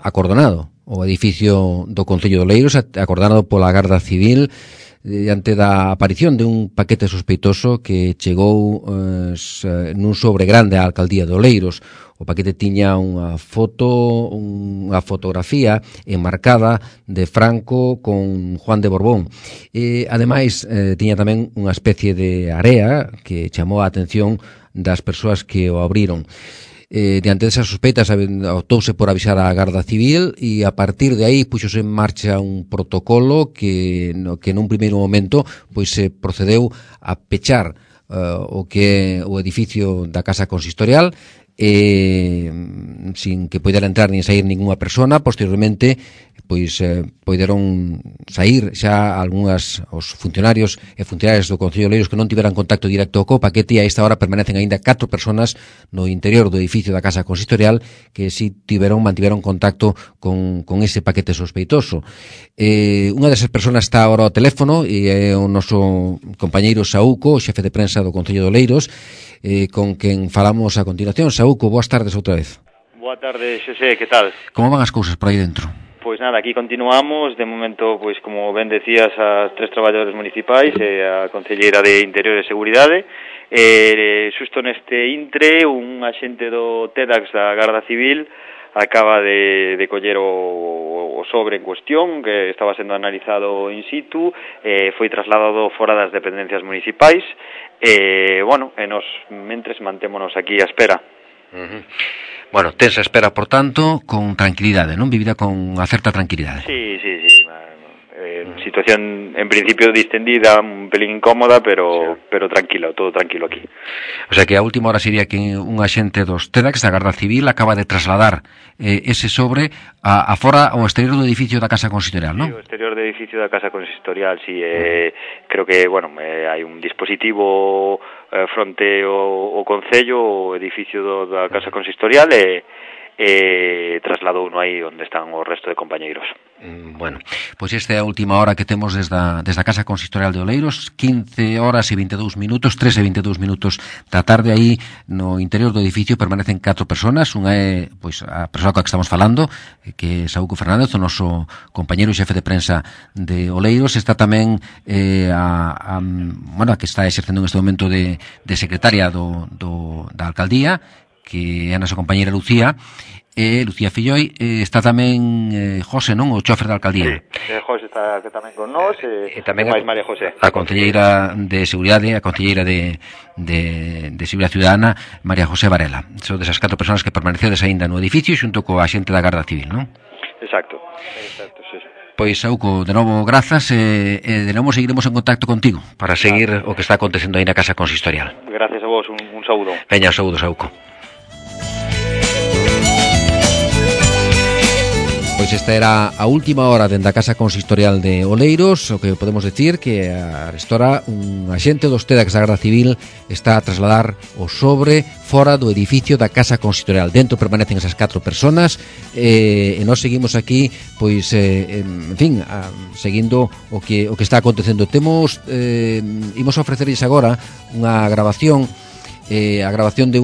acordonado o edificio do Concello de Oleiros, acordonado pola Garda Civil diante da aparición de un paquete sospeitoso que chegou nun sobre grande á Alcaldía de Oleiros. O paquete tiña unha fotografía enmarcada de Franco con Juan de Borbón. Ademais, tiña tamén unha especie de area que chamou a atención das persoas que o abriron. Diante desas sospeitas optouse por avisar á Garda Civil e a partir de aí puxose en marcha un protocolo que nun primeiro momento pois se procedeu a pechar o que é o edificio da Casa Consistorial sin que poidera entrar nin sair ninguna persona. Posteriormente pois poideron sair xa os funcionarios e funcionarias do Concello de Oleiros que non tiveran contacto directo co paquete, e a esta hora permanecen aínda 4 personas no interior do edificio da Casa Consistorial que si mantiveron contacto con ese paquete sospeitoso. Unha desas personas está agora ao teléfono e é o noso compañeiro Saúco, xefe de prensa do Concello de Oleiros, con quen falamos a continuación. Saúco, boas tardes outra vez. Boa tarde, Xosé, que tal? Como van as cousas por aí dentro? Pois nada, aquí continuamos, de momento, pois como ben decías, as 3 traballadores municipais e a Concelleira de Interior e Seguridade. Xusto neste intre, un axente do TEDx da Garda Civil acaba de coller o sobre en cuestión, que estaba sendo analizado in situ, foi trasladado fora das dependencias municipais, e nos mentres mantémonos aquí á espera. Bueno, tensa espera, por tanto, con tranquilidade, non? Vivida con unha certa tranquilidade. Sí. Situación, en principio, distendida, un pelín incómoda, pero tranquilo, todo tranquilo aquí. O sea que a última hora sería que un axente dos TEDx da Garda Civil acaba de trasladar ese sobre a fora ao exterior do edificio da Casa Consistorial, non? Sí, o exterior do edificio da Casa Consistorial, sí. Creo que, hai un dispositivo fronte ao Concello, o edificio da Casa Consistorial, trasladou uno aí onde están o resto de compañeiros. Bueno, pois esta é a última hora que temos desde a Casa Consistorial de Oleiros, 15 horas e 22 minutos, 3 e 22 minutos da tarde. Aí no interior do edificio permanecen 4 personas. Unha é pois a persoa coa que estamos falando, que é Saúco Fernández, o noso compañeiro e xefe de prensa de Oleiros. Está tamén a que está exercendo neste momento de secretaria da alcaldía, que é a nosa compañera Lucía Filloi. Está tamén José, non? O chofer da alcaldía. Sí, José está tamén con nós, e tamén máis María José. A concelleira de Seguridade, a concelleira de Seguridade Ciudadana, María José Varela. Son desas 4 personas que permanecedes aínda no edificio xunto coa xente da Garda Civil, non? Exacto, sí. Pois, Saúco, de novo, grazas, e de novo seguiremos en contacto contigo para seguir o que está acontecendo aí na Casa Consistorial. Gracias a vos, un saúdo. Veña, un saúdo, Saúco. Pois esta era a última hora dende a Casa Consistorial de Oleiros. O que podemos decir que a hora un axente dos TEDx da Garda Civil está a trasladar o sobre fora do edificio da Casa Consistorial. Dentro permanecen esas 4 personas, e nós seguimos aquí pois seguindo o que está acontecendo. Imos a ofrecerles agora unha grabación, a grabación de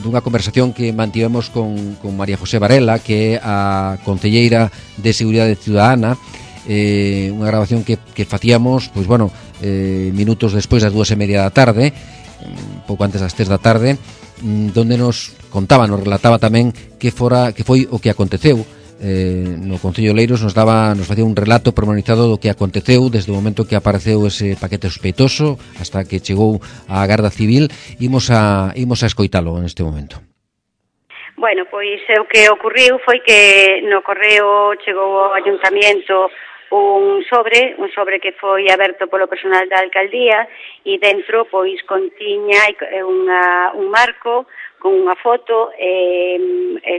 dunha conversación que mantivemos con María José Varela, que é a concelleira de Seguridade Ciudadana. Unha grabación que facíamos minutos despois das 2:30 da tarde, pouco antes das 3 da tarde, donde nos relataba tamén que foi o que aconteceu no Concello de Oleiros. Nos facía un relato pormenorizado do que aconteceu desde o momento que apareceu ese paquete sospeitoso hasta que chegou a Garda Civil. Imos a escoitalo neste momento. Bueno, pois o que ocurriu foi que no correo chegou ao Ayuntamiento un sobre que foi aberto polo personal da alcaldía, e dentro pois contiña un marco con unha foto,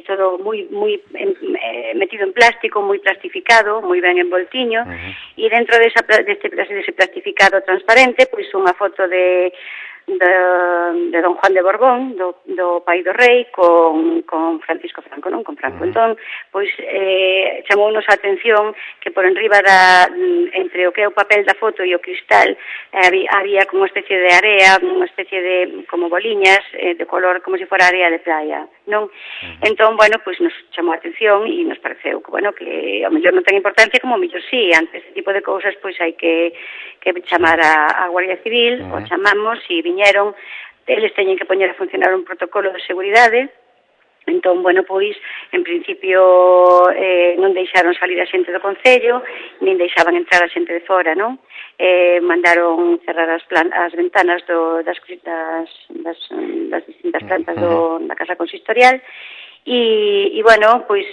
todo moi metido en plástico, moi plastificado, moi ben envoltiño, e dentro dese plastificado transparente, pois unha foto de de don Juan de Borbón, do pai do rei, con Francisco Franco, non? Con Franco. Entón, pois, chamounos a atención que por enriba entre o que é o papel da foto e o cristal, había como unha especie de area, unha especie de, como boliñas, de color como se fora area de playa, non? Entón, bueno, pois nos chamou a atención e nos pareceu que, bueno, que ao mellor non ten importancia, como ao mellor sí, ante este tipo de cousas, pois hai que chamar a Guardia Civil, o chamamos e viñeron, eles teñen que poñer a funcionar un protocolo de seguridade. Entón, bueno, pois, en principio non deixaron salir a xente do Concello, nin deixaban entrar a xente de fora, non? Mandaron cerrar as ventanas das distintas plantas da Casa Consistorial e bueno, pois,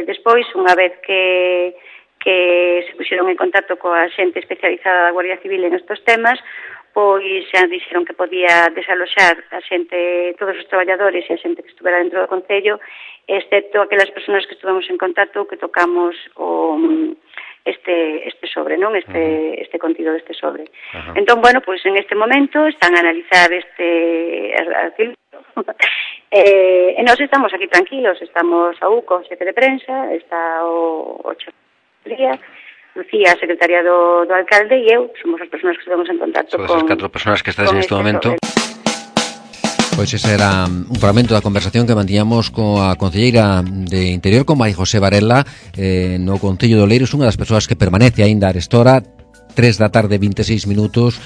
despois, unha vez que se puxeron en contacto coa xente especializada da Guardia Civil en estos temas, pois xa dixeron que podía desaloxar a xente, todos os traballadores e a xente que estuvera dentro do Concello, excepto aquelas persoas que estuvemos en contacto, que tocamos este sobre, non? Este contido deste sobre. Entón, bueno, pois en este momento están a analizar este artigo. E nós estamos aquí tranquilos, estamos a UCO, o xefe de prensa, está o Día, Lucía, a secretaria do alcalde, e eu somos as persoas que estamos en contacto con... Son as 4 persoas que estás en este momento. Pois ese era un fragmento da conversación que mantiñamos coa concelleira de Interior, con María José Varela, no Concello de Oleiros, unha das persoas que permanece aínda a esta hora, 3 da tarde, 26 minutos,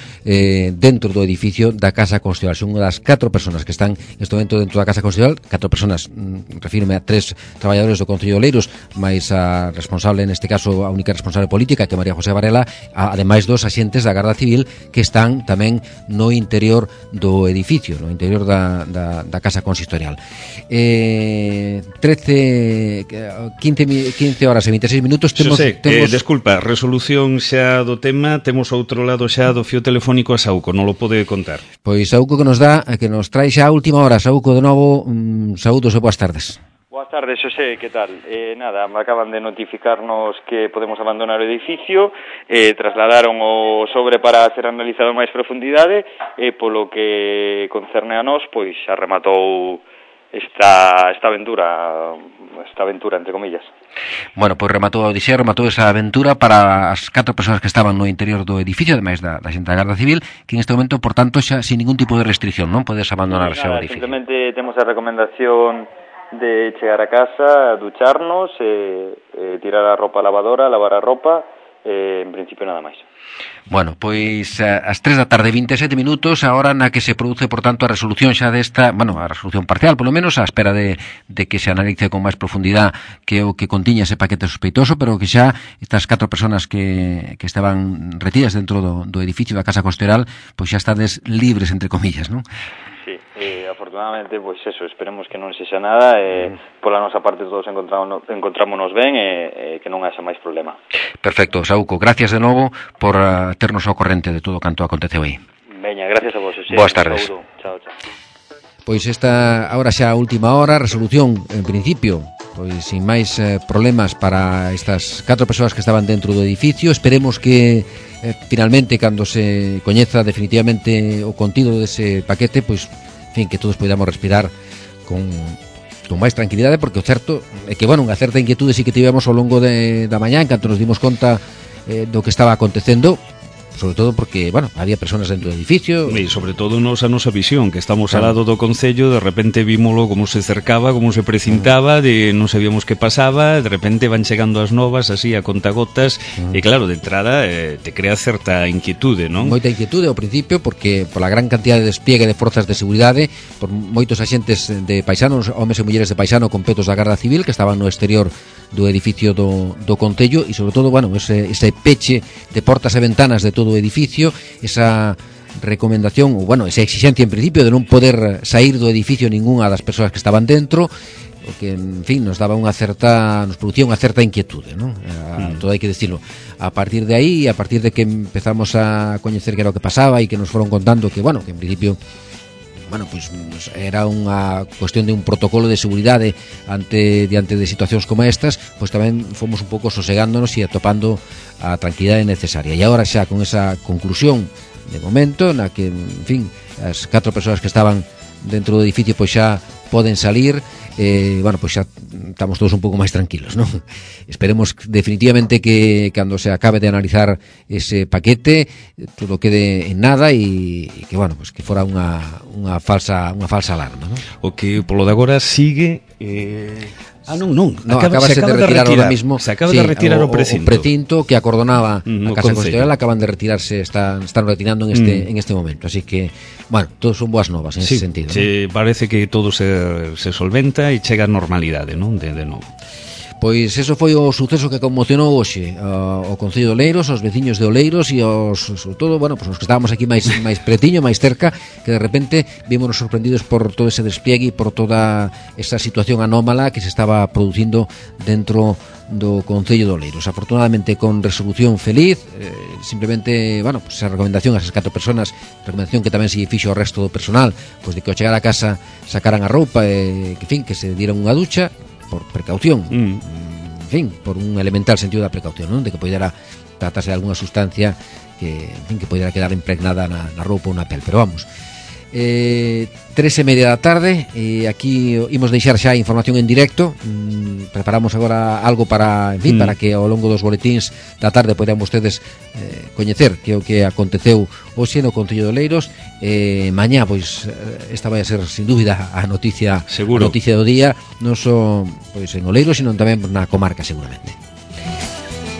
dentro do edificio da Casa Constitucional. Son unha das 4 persoas que están neste momento dentro da Casa Constitucional, 4 persoas, refírome a 3 traballadores do Concello de Oleiros, máis a responsable, neste caso, a única responsable política, que é María José Varela, ademais 2 axentes da Garda Civil que están tamén no interior do edificio, no interior da Casa Consistorial. 15 horas e 26 minutos temos... Desculpa, resolución xa do tema. Temos outro lado xa do fío telefónico a Saúco, non lo pode contar. Pois Saúco que nos trae xa a última hora. Saúco, de novo, saúdos e boas tardes. Boas tardes, Xosé, que tal? Nada, acaban de notificarnos que podemos abandonar o edificio, trasladaron o sobre para ser analizado máis profundidade, e polo que concerne a nós, pois xa rematou esta aventura entre comillas. Bueno, pois rematou esa aventura para as 4 persoas que estaban no interior do edificio, ademais da xente da Garda Civil, que en este momento, por tanto, xa sin ningún tipo de restricción, non podes abandonar o edificio. Simplemente temos a recomendación de chegar a casa, ducharnos, tirar a roupa a lavadora, lavar a roupa, en principio nada máis. Bueno, pois ás 3 da tarde 27 minutos, a hora na que se produce, por tanto, a resolución xa desta, a resolución parcial, polo menos, á espera de que se analice con máis profundidade que o que contiña ese paquete sospeitoso, pero que xa estas 4 persoas que estaban retidas dentro do edificio da Casa Constitucional, pois xa estades libres, entre comillas, non? Sí, afortunadamente, pois eso, esperemos que non sexa nada, pola nosa parte todos encontrámonos ben e que non haxa máis problema. Perfecto, Saúco, gracias de novo por ternos ao corrente de todo canto aconteceu aí. Veña, gracias a vos, Xosé. Boas tardes. Chao. Pois esta agora xa a última hora, resolución, en principio, pois sin máis problemas para estas 4 persoas que estaban dentro do edificio. Esperemos que finalmente, cando se coñeza definitivamente o contido dese paquete, pois, en fin, que todos podamos respirar con máis tranquilidade, porque o certo é que, unha certa inquietude sí que tivemos ao longo da mañá, en canto nos dimos conta do que estaba acontecendo, sobre todo porque, había personas dentro do edificio. E sobre todo a nosa visión, que estamos al lado do Concello, de repente vímolo como se cercaba, como se precintaba, non sabíamos que pasaba, de repente van chegando as novas, así, a contagotas, e claro, de entrada te crea certa inquietude, non? Moita inquietude ao principio, porque pola gran cantidad de despliegue de forzas de seguridade, por moitos axentes de paisanos, homes e mulleres de paisano con petos da Garda Civil, que estaban no exterior do edificio do Concello, e sobre todo, ese peche de portas e ventanas de todo o edificio, esa recomendación, ou esa exigencia en principio de non poder sair do edificio ningunha das persoas que estaban dentro, o que, en fin, nos producía unha certa inquietude, non? Todo hai que decirlo. A partir de aí, a partir de que empezamos a coñecer que era o que pasaba e que nos foron contando que en principio era unha cuestión de un protocolo de seguridade diante de situacións como estas, pois tamén fomos un pouco sosegándonos e atopando a tranquilidade necesaria. E agora xa con esa conclusión de momento, na que, en fin, as 4 persoas que estaban dentro do edificio pois xa poden salir. Bueno, pois xa estamos todos un pouco máis tranquilos, non? Esperemos definitivamente que cando se acabe de analizar ese paquete todo quede en nada e que, bueno, pois que fora unha falsa alarma, non? O que polo de agora sigue acabase de retirar ahora mismo. Se acaba de retirar o precinto. O precinto que acordonaba a Casa Consistorial acaban de retirarse, están retirando en este momento. Así que, bueno, todos son boas novas en ese sentido. Sí, ¿no? Parece que todo se solventa e chega a normalidade, non? De novo. Pois eso foi o suceso que conmocionou hoxe o Concello de Oleiros, os veciños de Oleiros e sobre todo, bueno, pues os que estábamos aquí máis pretiño, máis cerca, que de repente vímonos sorprendidos por todo ese despliegue e por toda esa situación anómala que se estaba producindo dentro do Concello de Oleiros. Afortunadamente con resolución feliz, simplemente, bueno, pues esa recomendación a esas 4 personas, recomendación que tamén se fixo ao resto do personal, pues de que ao chegar a casa sacaran a roupa e que se dieran unha ducha por precaución, en fin, por un elemental sentido da precaución, non? De que poidera tratarse de algunha sustancia que, en fin, que poidera quedar impregnada na roupa ou na pel, pero vamos. 3:30 da tarde, aquí imos deixar xa a información en directo. Preparamos agora algo para, en fin, para que ao longo dos boletíns da tarde poidan vostedes coñecer que o que aconteceu hoxe no Concello de Oleiros. Mañá, pois, esta vai a ser sin dúbida a noticia do día, non só pois en Oleiros, sino tamén na comarca seguramente.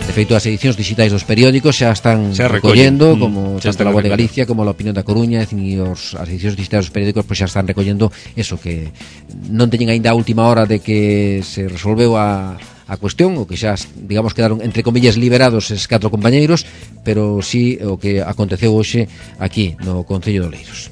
De feito, as edicións digitais dos periódicos xa están recollendo, como tanto La Voz de Galicia como La Opinión da Coruña, e as edicións digitais dos periódicos pois xa están recollendo eso, que non teñen aínda a última hora de que se resolveu a cuestión, o que xa, digamos, quedaron entre comillas liberados esses 4 compañeiros, pero sí o que aconteceu hoxe aquí no Concello de Oleiros.